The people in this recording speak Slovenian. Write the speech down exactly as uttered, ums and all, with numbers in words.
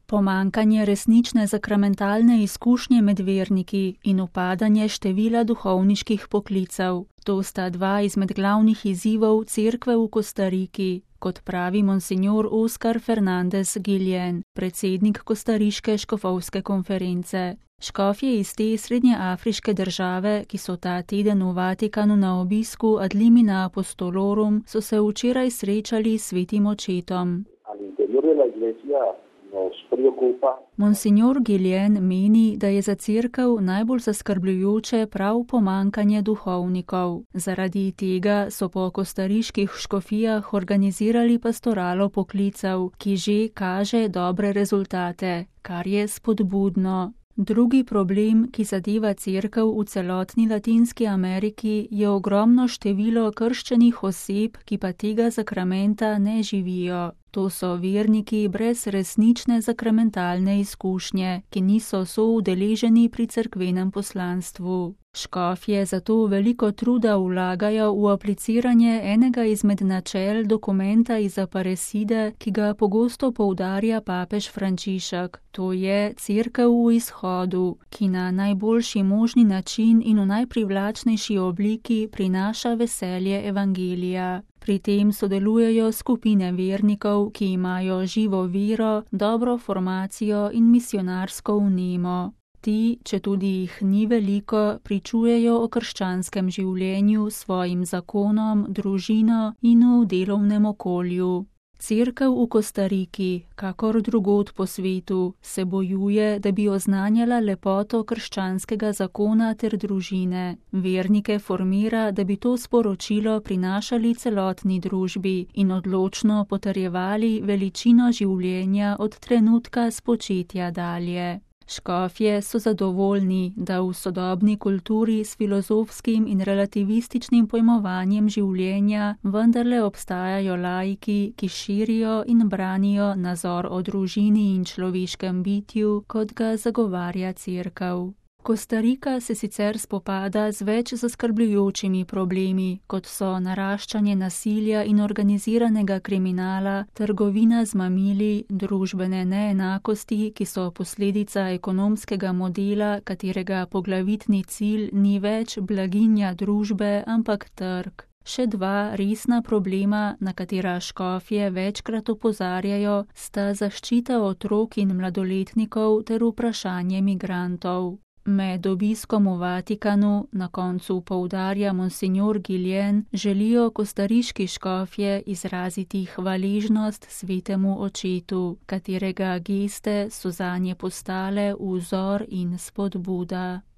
Pomankanje resnične sakramentalne izkušnje med verniki in upadanje števila duhovniških poklicev. To sta dva izmed glavnih izzivov cerkve v Kostariki, kot pravi monsignor Oscar Fernandez Guillén, predsednik kostariške škofovske konference. Škofje iz te srednjeafriške države, ki so ta teden v Vatikanu na obisku ad limina apostolorum, so se včeraj srečali s svetim očetom. Monsignor Guillén meni, da je za cerkev najbolj zaskrbljujoče prav pomankanje duhovnikov. Zaradi tega so po kostariških škofijah organizirali pastoralo poklicev, ki že kaže dobre rezultate, kar je spodbudno. Drugi problem, ki zadeva cerkev v celotni Latinski Ameriki, je ogromno število krščenih oseb, ki pa tega sakramenta ne živijo. To so verniki brez resnične sakramentalne izkušnje, ki niso soudeleženi pri cerkvenem poslanstvu. Škofje zato veliko truda vlagajo v apliciranje enega izmed načel dokumenta iz Aparecide, ki ga pogosto poudarja papež Frančišek. To je cerkev v izhodu, ki na najboljši možni način in v najprivlačnejši obliki prinaša veselje evangelija. Pri tem sodelujejo skupine vernikov, ki imajo živo vero, dobro formacijo in misionarsko vnemo. Ti, četudi jih ni veliko, pričujejo o krščanskem življenju, svojim zakonom, družino in v delovnem okolju. Cerkev v Kostariki, kakor drugod po svetu, se bojuje, da bi oznanjala lepoto krščanskega zakona ter družine. Vernike formira, da bi to sporočilo prinašali celotni družbi in odločno potrjevali veličino življenja od trenutka spočetja dalje. Škofje so zadovoljni, da v sodobni kulturi s filozofskim in relativističnim pojmovanjem življenja vendarle obstajajo laiki, ki širijo in branijo nazor o družini in človeškem bitju, kot ga zagovarja cerkev. Kostarika se sicer spopada z več zaskrbljujočimi problemi, kot so naraščanje nasilja in organiziranega kriminala, trgovina z mamili, družbene neenakosti, ki so posledica ekonomskega modela, katerega poglavitni cilj ni več blaginja družbe, ampak trg. Še dva resna problema, na katera škofje večkrat opozarjajo, sta zaščita otrok in mladoletnikov ter vprašanje migrantov. Med obiskom v Vatikanu, na koncu poudarja monsignor Guillén, želijo kostariški škofje izraziti hvaležnost svetemu očetu, katerega geste so zanje postale vzor in spodbuda.